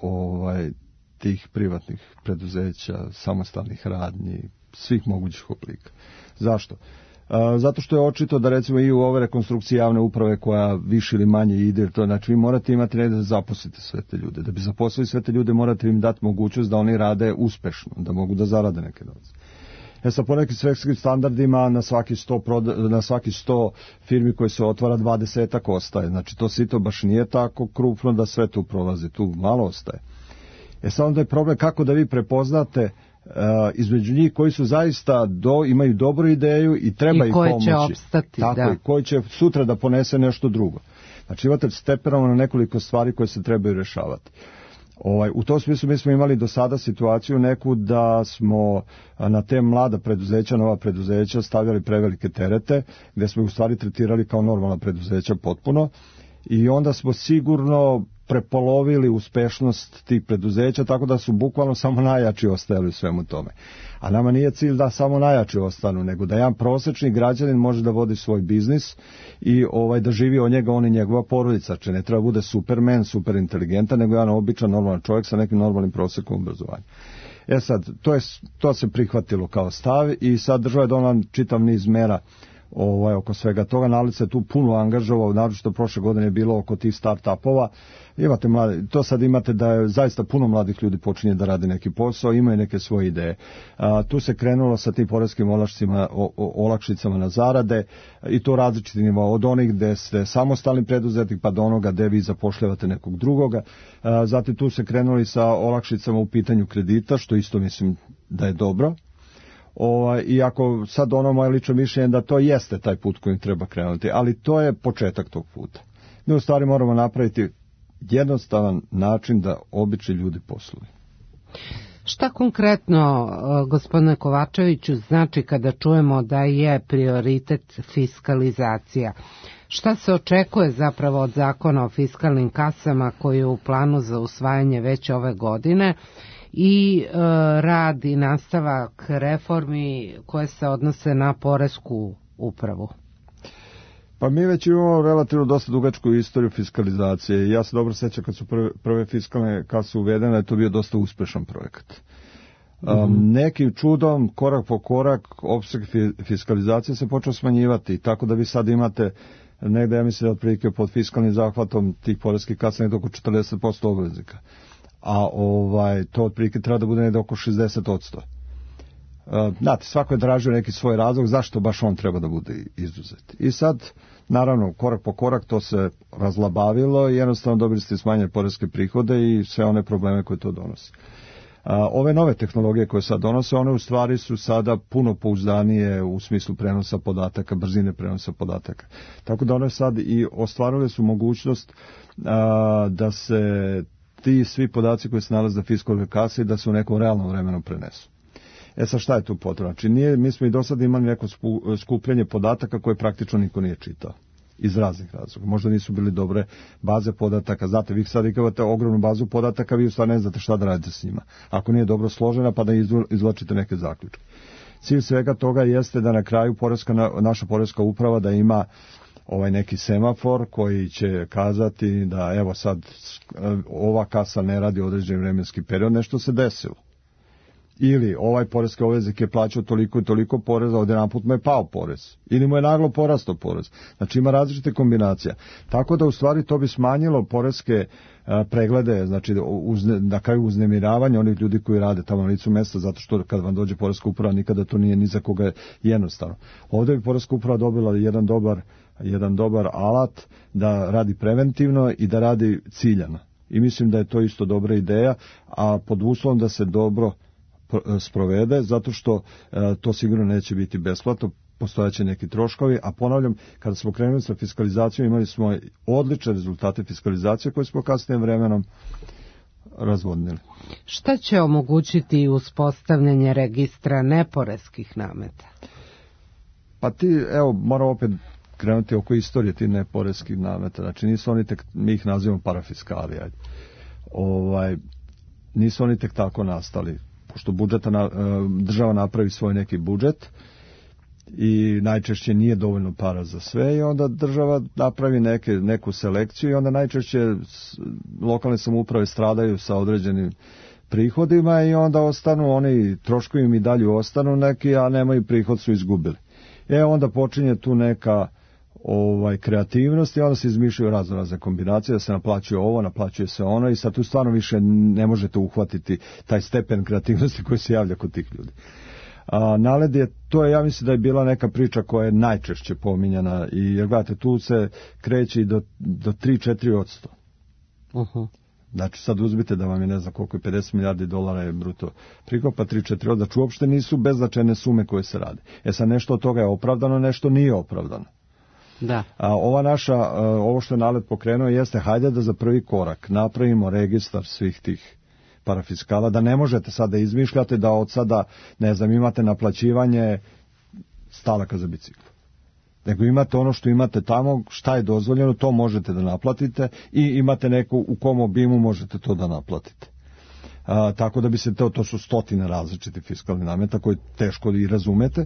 ovaj, tih privatnih preduzeća, samostalnih radnji, svih mogućih oblika. Zašto? Zato što je očito da recimo i u ove rekonstrukcije javne uprave koja više ili manje ide, to znači vi morate imati negdje da zaposlite sve te ljude. Da bi zaposlili sve te ljude morate im dati mogućnost da oni rade uspešno, da mogu da zarade neke novce. E sad po nekim svetskim standardima na svaki sto, na svaki sto firmi koje se otvara dvadesetak ostaje. Znači to sito baš nije tako krupno da sve tu prolazi, tu malo ostaje. E sad onda je problem kako da vi prepoznate Uh, između njih koji su zaista do, imaju dobru ideju i treba I ih pomoći. Će opstati, Tako da. je, koji će sutra da ponese nešto drugo. Znači imate stepenovano nekoliko stvari koje se trebaju rešavati. Ovaj, u tom smislu mi smo imali do sada situaciju neku da smo na te mlada preduzeća, nova preduzeća stavljali prevelike terete, gdje smo u stvari tretirali kao normalna preduzeća potpuno i onda smo sigurno prepolovili uspešnost tih preduzeća, tako da su bukvalno samo najjači ostajali u svemu tome. A nama nije cilj da samo najjači ostanu, nego da jedan prosječni građanin može da vodi svoj biznis i ovaj da živi od njega on i njegova porodica. Če ne treba bude supermen, super inteligentan, nego jedan običan normalan čovjek sa nekim normalnim prosjekom obrazovanja. E sad, to, je, to se prihvatilo kao stav i sad država je donela čitav niz mera ovaj, oko svega toga. Nalic se tu puno angažovao, naročito prošle godine je bilo oko tih start-upova. Imate mlade, to sad imate da je zaista puno mladih ljudi počinje da radi neki posao, imaju neke svoje ideje. A, tu se krenulo sa tim poreskim olakšicama, o, o, olakšicama na zarade i to različiti nivo, od onih gde ste samostalni preduzetnik pa do onoga gde vi zapošljavate nekog drugoga. A, zatim tu se krenuli sa olakšicama u pitanju kredita, što isto mislim da je dobro. O, iako sad ono moje lično mišljenje da to jeste taj put kojim treba krenuti, ali to je početak tog puta. Mi u stvari moramo napraviti jednostavan način da obični ljudi posluju. Šta konkretno, gospodine Kovačeviću, znači kada čujemo da je prioritet fiskalizacija? Šta se očekuje zapravo od zakona o fiskalnim kasama koji je u planu za usvajanje već ove godine i e, rad i nastavak reformi koje se odnose na poresku upravu? Pa mi već imamo relativno dosta dugačku istoriju fiskalizacije. Ja se dobro sećam kad su prve, prve fiskalne kase uvedene, je to bio dosta uspešan projekat. Um, mm-hmm. Nekim čudom, korak po korak, opseg fiskalizacije se počeo smanjivati, tako da vi sad imate negde, ja mislim, otprilike pod fiskalnim zahvatom tih poreskih kasa negde oko četrdeset posto obveznika. A ovaj, to otprilike treba da bude negde oko šezdeset posto. Uh, znate, svako je tražio neki svoj razlog zašto baš on treba da bude izuzet. I sad, naravno, korak po korak to se razlabavilo i jednostavno dobili ste smanjene poreske prihode i sve one probleme koje to donose. Uh, ove nove tehnologije koje sad donose, one u stvari su sada puno pouzdanije u smislu prenosa podataka, brzine prenosa podataka. Tako da one sad i ostvarile su mogućnost uh, da se ti svi podaci koji se nalaze na fiskalnoj kasi da se u nekom realnom vremenu prenesu. E sad šta je tu potrebno? Znači nije, mi smo i do sada imali neko skupljenje podataka koje praktično niko nije čitao. Iz raznih razloga. Možda nisu bili dobre baze podataka. Znate, vi sad ikavate ogromnu bazu podataka, vi u stvari ne znate šta da radite s njima. Ako nije dobro složena, pa da izvlačite neke zaključke. Cilj svega toga jeste da na kraju poreska, naša poreska uprava da ima ovaj neki semafor koji će kazati da evo sad ova kasa ne radi određeni vremenski period, nešto se desilo. Ili ovaj poreski obveznik je plaćao toliko i toliko poreza, odjedanput mu je pao porez. Ili mu je naglo porastao porez. Znači ima različite kombinacija. Tako da u stvari to bi smanjilo poreske a, preglede, znači uzne, na kraju uznemiravanja onih ljudi koji rade tamo na licu mesta, zato što kad vam dođe poreska uprava nikada to nije ni za koga jednostavno. Ovdje bi poreska uprava dobila jedan dobar, jedan dobar alat da radi preventivno i da radi ciljano. I mislim da je to isto dobra ideja, a pod uslovom da se dobro sprovede, zato što to sigurno neće biti besplatno, postojaće neki troškovi, a ponavljam, kada smo krenuli sa fiskalizacijom, imali smo odlične rezultate fiskalizacije koje smo kasnije vremenom razvodnili. Šta će omogućiti uspostavljanje registra neporeskih nameta? Pa ti, evo, moram opet krenuti oko istorije ti neporeskih nameta. Znači, nisu oni tek, mi ih nazivamo parafiskali, ajde. Ovaj, nisu oni tek tako nastali. Pošto budžeta na, država napravi svoj neki budžet i najčešće nije dovoljno para za sve i onda država napravi neke, neku selekciju i onda najčešće lokalne samouprave stradaju sa određenim prihodima i onda ostanu oni, troškovi im i dalje ostanu neki, a nemaju prihod, su izgubili. E onda počinje tu neka ovaj kreativnost i onda se izmišljaju razno razne kombinacije, da se naplaćuje ovo, naplaćuje se ono i sad tu stvarno više ne možete uhvatiti taj stepen kreativnosti koji se javlja kod tih ljudi. A, naled je, to je, ja mislim da je bila neka priča koja je najčešće pominjana i jer gledajte, tu se kreće i do, do tri do četiri odsto. Uh-huh. Znači sad uzmite da vam je ne znam koliko je pedeset milijardi dolara je bruto prihod, pa tri do četiri odsto, znači uopšte nisu beznačajne sume koje se rade. E sad nešto od toga je opravdano, nešto nije opravdano. Da. A ova naša, ovo što je nalet pokrenuo jeste hajde da za prvi korak napravimo registar svih tih parafiskala, da ne možete sada da izmišljate da od sada, ne znam, imate naplaćivanje stalaka za bicikl. Nego imate ono što imate tamo, šta je dozvoljeno, to možete da naplatite i imate neku, u kom obimu možete to da naplatite. A, tako da bi se to, to su stotine različitih fiskalnih nameta koje teško i razumete.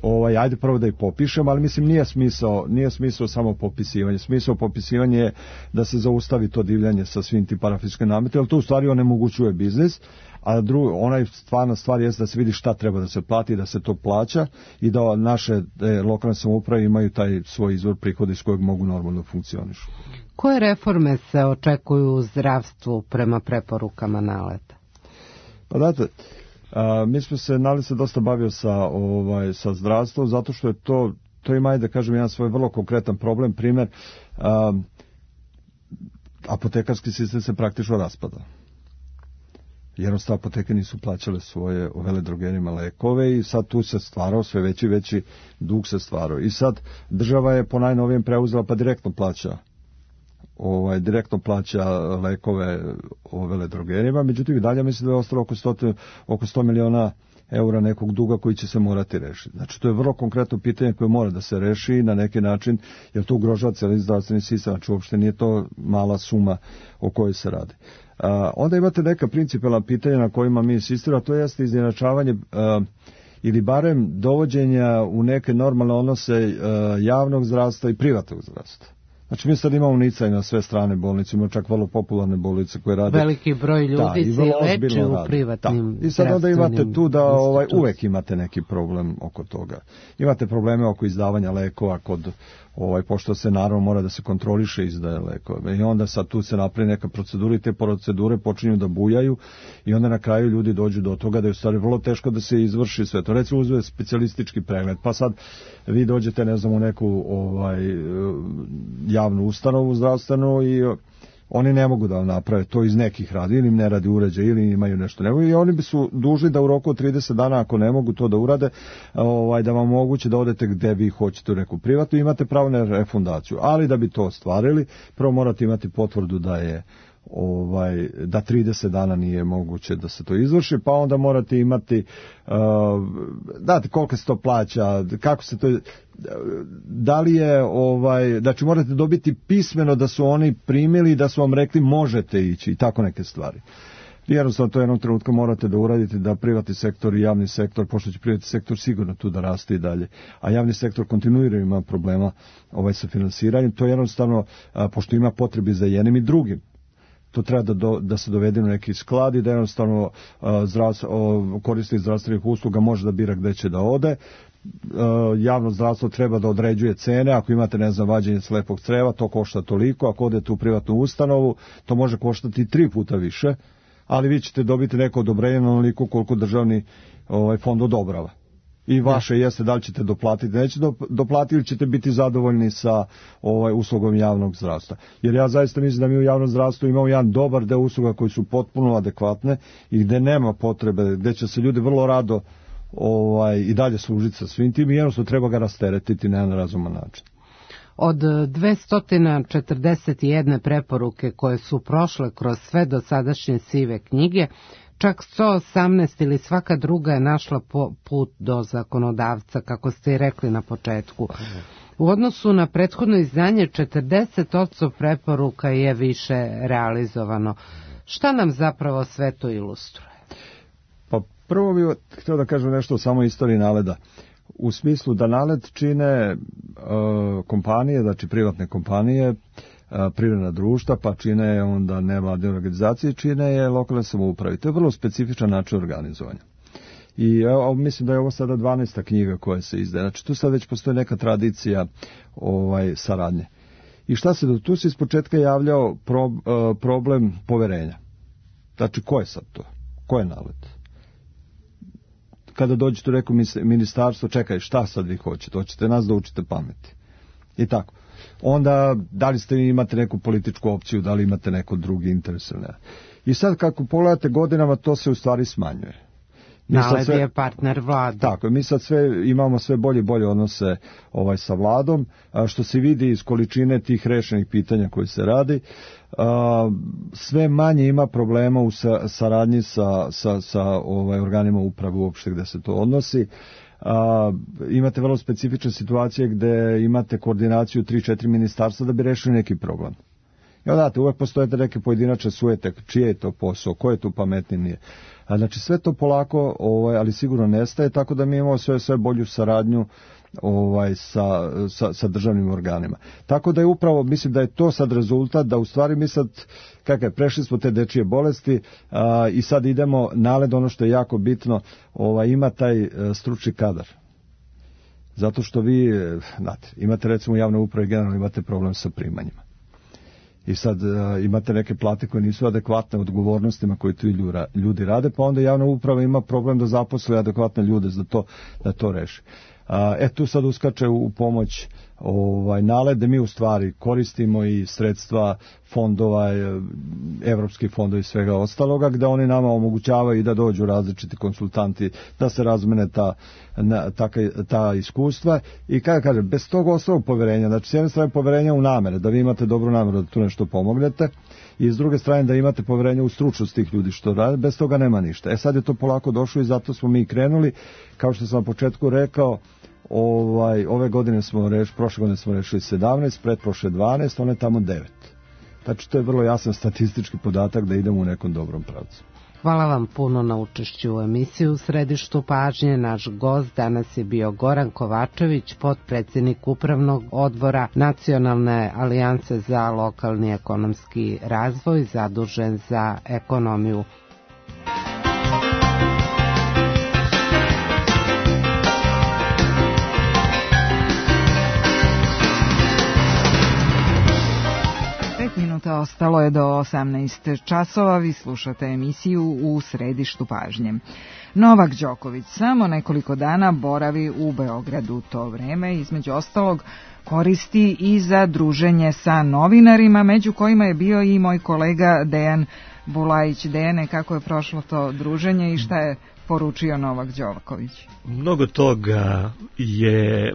Ovaj, ajde prvo da ih popišem, ali mislim nije smisao, nije smisao samo popisivanje. Smisao popisivanja je da se zaustavi to divljanje sa svim tim parafiskalnim nametima, jer to u stvari onemogućuje biznis, a drugo, onaj stvarna stvar je da se vidi šta treba da se plati, da se to plaća i da naše e, lokalne samouprave imaju taj svoj izvor prihoda iz kojeg mogu normalno funkcionišu. Koje reforme se očekuju u zdravstvu prema preporukama naleta? Pa date, a, mi smo se, nalet se dosta bavio sa, ovaj, sa zdravstvom, zato što je to, to ima, da kažem, jedan svoj vrlo konkretan problem, primjer, a, apotekarski sistem se praktično raspada. Jednostavno apoteke nisu plaćale svoje veledrogerijama lekove i sad tu se stvarao sve veći veći dug se stvarao. I sad država je po najnovijem preuzela pa direktno plaća ovaj, direktno plaća lekove o veledrogerijama, međutim i dalje mislim da je ostalo oko sto, oko sto miliona eura nekog duga koji će se morati rešiti. Znači to je vrlo konkretno pitanje koje mora da se reši na neki način, jer to ugrožava cijeli zdravstveni sistem, znači uopšte nije to mala suma o kojoj se radi. Uh, onda imate neka principalna pitanja na kojima mi insistiramo, to jeste izjednačavanje uh, ili barem dovođenja u neke normalne odnose uh, javnog zdravstva i privatnog zdravstva. Znači mi sad imamo nicaj na sve strane bolnice, imamo čak vrlo popularne bolnice koje rade. Veliki broj ljudi da, se leči u privatnim da. I sad onda imate tu da ovaj, uvek imate neki problem oko toga. Imate probleme oko izdavanja lekova kod ovaj, pošto se naravno mora da se kontroliše izdaje lekove. I onda sad tu se napravi neka procedura i te procedure počinju da bujaju i onda na kraju ljudi dođu do toga da je u stvari vrlo teško da se izvrši sve to. Recimo uzme specijalistički pregled, pa sad vi dođete ne znam u neku ovaj, javnu ustanovu zdravstvenu i oni ne mogu da vam naprave to iz nekih radi, ili im ne radi uređaj, ili imaju nešto nego i oni bi su dužni da u roku od trideset dana, ako ne mogu to da urade, ovaj, da vam moguće da odete gde vi hoćete u neku privatu, imate pravo na refundaciju, ali da bi to ostvarili, prvo morate imati potvrdu da je ovaj, da trideset dana nije moguće da se to izvrši, pa onda morate imati uh, date koliko se to plaća, kako se to da li je ovaj, znači morate dobiti pismeno da su oni primili, da su vam rekli možete ići i tako neke stvari. Jednostavno to jednom trenutku morate da uradite da privatni sektor i javni sektor, pošto će privatni sektor sigurno tu da raste i dalje, a javni sektor kontinuirano ima problema ovaj, sa finansiranjem, to je jednostavno, a, pošto ima potrebi za jednim i drugim, to treba da, do, da se dovede u neki sklad i da jednostavno a, zdravstvo, o, korisnik zdravstvenih usluga može da bira gde će da ode. Javno zdravstvo treba da određuje cene, ako imate ne znam vađenje slepog creva to košta toliko, ako odete u privatnu ustanovu to može koštati tri puta više, ali vi ćete dobiti neko odobrenje na onoliko koliko državni ovaj, fond odobrava. I vaše jeste da li ćete doplatiti, nećete doplatiti ili ćete biti zadovoljni sa ovaj, uslugom javnog zdravstva. Jer ja zaista mislim da mi u javnom zdravstvu imamo jedan dobar deo usluga koji su potpuno adekvatne i gde nema potrebe, gde će se ljudi vrlo rado ovaj, i dalje služiti sa svim tim i jednostavno treba ga rasteretiti na jedan razuman način. Od dvesta četrdeset jedne preporuke koje su prošle kroz sve dosadašnje sive knjige, čak sto osamnaest ili svaka druga je našla put do zakonodavca, kako ste i rekli na početku. U odnosu na prethodno izdanje, četrdeset posto preporuka je više realizovano. Šta nam zapravo sve to ilustruje? Pa prvo bih htio da kažem nešto o samoj istoriji NALED-a. U smislu da NALED čine uh, kompanije, znači privatne kompanije, uh, privredna društva, pa čine onda nevladine organizacije, čine je lokalne samouprave. To je vrlo specifičan način organizovanja. I evo, mislim da je ovo sada dvanaesta knjiga koja se izdaje. Znači tu sad već postoji neka tradicija ovaj, saradnje. I šta se do tu se iz početka javljao pro, uh, problem poverenja. Znači ko je sad to? Ko je NALED? Kada dođete u neko ministarstvo, čekaj, šta sad vi hoćete? Hoćete nas da učite pameti. I tako. Onda, da li ste imate neku političku opciju, da li imate neko drugi interes ili ne. I sad, kako pogledate godinama, to se u stvari smanjuje. NALED je partner vlade. Tako, mi sad sve, imamo sve bolje i bolje odnose ovaj, sa vladom, a, što se vidi iz količine tih rešenih pitanja koji se radi. A, sve manje ima problema u sa, saradnji sa, sa, sa ovaj, organima uprave uopšte gde se to odnosi. A, imate vrlo specifične situacije gde imate koordinaciju tri četiri ministarstva da bi rešili neki problem. I onda, uvek postoje neke pojedinačne sujete, čije je to posao, ko je tu pametniji, nije. A, znači sve to polako, ovaj, ali sigurno nestaje, tako da mi imamo sve, sve bolju saradnju ovaj, sa, sa, sa državnim organima. Tako da je upravo, mislim da je to sad rezultat, da u stvari mi sad, kako je, prešli smo te dečije bolesti a, i sad idemo, NALED, ono što je jako bitno, ovaj, ima taj a, stručni kadar. Zato što vi, znate, imate recimo u javnoj upravi generalno imate problem sa primanjima. I sad uh, imate neke plate koje nisu adekvatne odgovornostima koje tu ljudi rade, pa onda javna uprava ima problem da zaposle adekvatne ljude za to, da to reši. Uh, e tu sad uskače u, u pomoć ovaj, NALED, da mi u stvari koristimo i sredstva fondova, evropskih fondova i svega ostaloga, gde oni nama omogućavaju i da dođu različiti konsultanti, da se razmene ta, na, ta, ta iskustva i kada kažem, bez tog osnovog poverenja, znači s jedne strane poverenja u namere, da vi imate dobru nameru da tu nešto pomognete i s druge strane da imate poverenje u stručnost tih ljudi što rade, bez toga nema ništa. E sad je to polako došlo i zato smo mi krenuli, kao što sam na početku rekao, Ovaj, ove godine smo rešili, prošle godine smo rešili sedamnaest, pretprošle dvanaest, one tamo devet. Znači to je vrlo jasan statistički podatak da idemo u nekom dobrom pravcu. Hvala vam puno na učešću u emisiji U središtu pažnje. Naš gost danas je bio Goran Kovačević, potpredsjednik Upravnog odbora Nacionalne alijanse za lokalni ekonomski razvoj, zadužen za ekonomiju. Ostalo je do osamnaest časova, vi slušate emisiju U središtu pažnje. Novak Đoković samo nekoliko dana boravi u Beogradu. To vreme, između ostalog, koristi i za druženje sa novinarima, među kojima je bio i moj kolega Dejan Bulajić. Dejane, kako je prošlo to druženje i šta je poručio Novak Đoković? Mnogo toga je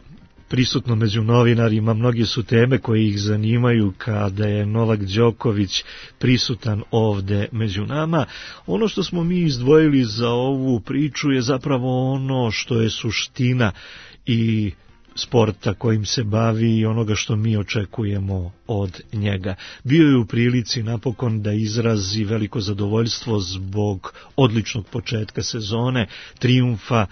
prisutno među novinarima, mnogi su teme koje ih zanimaju kada je Novak Đoković prisutan ovde među nama. Ono što smo mi izdvojili za ovu priču je zapravo ono što je suština i sporta kojim se bavi i onoga što mi očekujemo od njega. Bio je u prilici napokon da izrazi veliko zadovoljstvo zbog odličnog početka sezone, trijumfa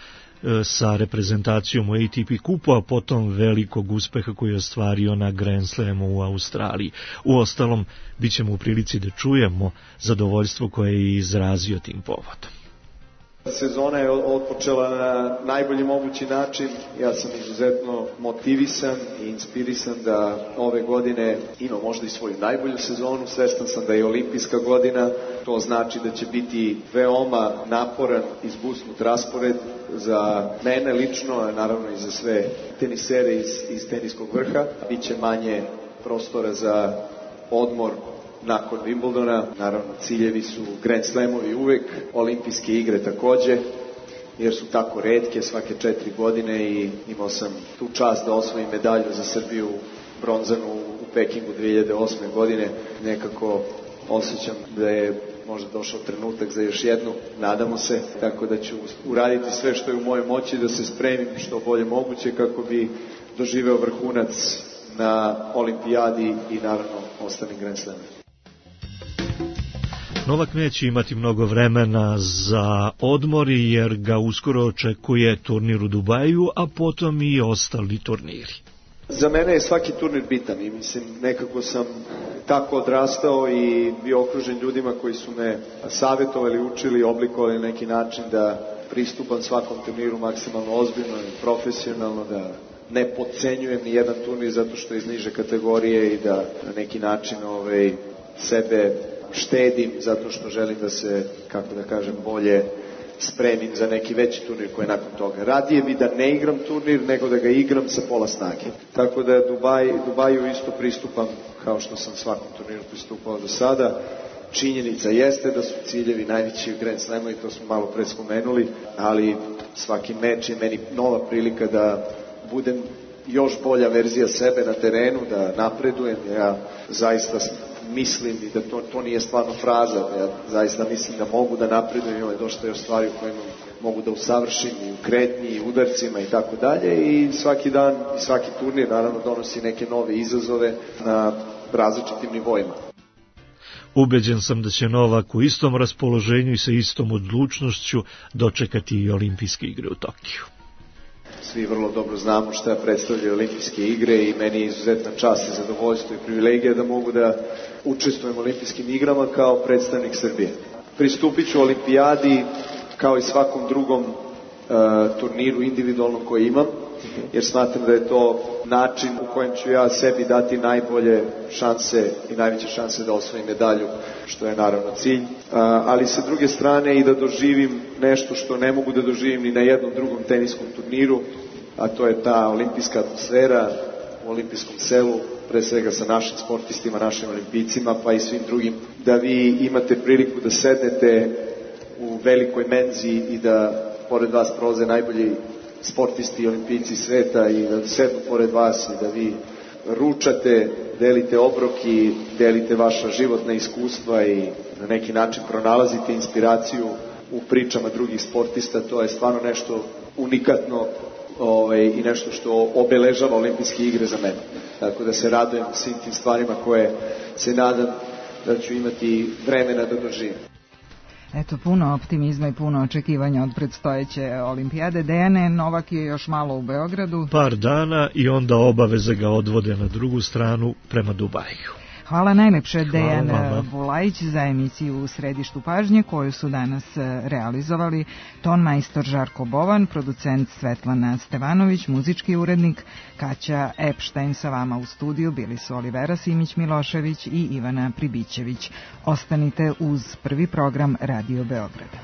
sa reprezentacijom u A T P kupu, a potom velikog uspeha koji je ostvario na Grand Slamu u Australiji. Uostalom, bit ćemo u prilici da čujemo zadovoljstvo koje je izrazio tim povodom. Sezona je otpočela na najbolji mogući način. Ja sam izuzetno motivisan i inspirisan da ove godine ima možda i svoju najbolju sezonu. Svestan sam da je olimpijska godina. To znači da će biti veoma naporan i zbusnut raspored za mene lično, a naravno i za sve tenisere iz, iz teniskog vrha. Biće manje prostora za odmor nakon Wimbledona. Naravno, ciljevi su Grand Slamovi uvek, olimpijske igre takođe, jer su tako retke svake četiri godine i imao sam tu čast da osvojim medalju za Srbiju, bronzanu u Pekingu dve hiljade osme godine. Nekako osjećam da je možda došao trenutak za još jednu, nadamo se, tako da ću uraditi sve što je u mojoj moći da se spremim što bolje moguće kako bi doživeo vrhunac na olimpijadi i naravno ostalim Grand Slamima. Novak neće imati mnogo vremena za odmor jer ga uskoro očekuje turnir u Dubaju, a potom i ostali turniri. Za mene je svaki turnir bitan i mislim nekako sam tako odrastao i bio okružen ljudima koji su me savjetovali, učili, oblikovali na neki način da pristupam svakom turniru maksimalno ozbiljno i profesionalno, da ne podcenjujem ni jedan turnir zato što je iz niže kategorije i da na neki način ovaj, sebe štedim zato što želim da se, kako da kažem, bolje spremim za neki veći turnir koji je nakon toga. Radije bi da ne igram turnir nego da ga igram sa pola snage. Tako da Dubaj, Dubaju isto pristupam kao što sam svakom turniru pristupao do sada. Činjenica jeste da su ciljevi najveći Grand Slama i to smo malo pre spomenuli, ali svaki meč je meni nova prilika da budem još bolja verzija sebe na terenu, da napredujem. Ja zaista mislim i da to, to nije stvarno fraza, ja zaista mislim da mogu da napredujem, ima je dosta još stvari u kojima mogu da usavršim i u kretnji i udarcima i tako dalje i svaki dan i svaki turnir naravno donosi neke nove izazove na različitim nivoima. Ubeđen sam da će Novak u istom raspoloženju i sa istom odlučnošću dočekati i olimpijske igre u Tokiju. Svi vrlo dobro znamo šta predstavljaju olimpijske igre i meni je izuzetna čast i zadovoljstvo i privilegija da mogu da učestvujem u olimpijskim igrama kao predstavnik Srbije. Pristupit ću olimpijadi kao i svakom drugom uh, turniru individualnom koji imam, jer smatram da je to način u kojem ću ja sebi dati najbolje šanse i najveće šanse da osvojim medalju, što je naravno cilj, ali sa druge strane i da doživim nešto što ne mogu da doživim ni na jednom drugom teniskom turniru, a to je ta olimpijska atmosfera u olimpijskom selu, pre svega sa našim sportistima, našim olimpijcima, pa i svim drugim, da vi imate priliku da sednete u velikoj menzi i da pored vas prolaze najbolji sportisti i olimpijci sveta i da sednu pored vas i da vi ručate, delite obrok i delite vaša životna iskustva i na neki način pronalazite inspiraciju u pričama drugih sportista. To je stvarno nešto unikatno ovaj, i nešto što obeležava olimpijske igre za mene. Tako da se radujem svim tim stvarima koje se nadam da ću imati vremena da doživim. Eto, puno optimizma i puno očekivanja od predstojeće olimpijade. Dejane, Novak je još malo u Beogradu. Par dana i onda obaveze ga odvode na drugu stranu prema Dubaju. Hvala najlepše, Dejan Bulajić, za emisiju U središtu pažnje koju su danas realizovali ton majstor Žarko Bovan, producent Svetlana Stevanović, muzički urednik Kaća Epštajn. Sa vama u studiju bili su Olivera Simić-Milošević i Ivana Pribićević. Ostanite uz prvi program Radio Beograda.